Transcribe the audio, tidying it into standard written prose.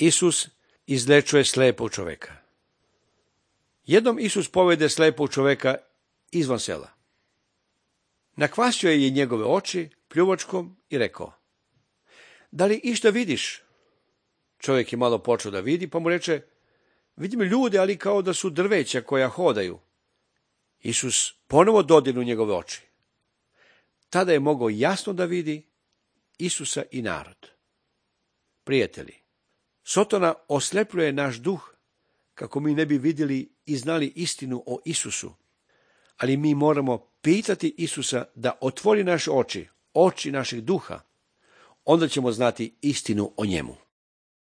Isus izlečuje slepog čoveka. Jednom Isus povede slepog čoveka izvan sela. Nakvasio je njegove oči pljuvačkom i rekao: da li išta vidiš? Čovjek je malo počeo da vidi, pa mu reče: vidim ljude, ali kao da su drveća koja hodaju. Isus ponovo dodirnu njegove oči. Tada je mogao jasno da vidi Isusa i narod. Prijatelji, Sotona oslepljuje naš duh kako mi ne bi vidjeli i znali istinu o Isusu, ali mi moramo pitati Isusa da otvori naše oči, oči našeg duha, onda ćemo znati istinu o njemu.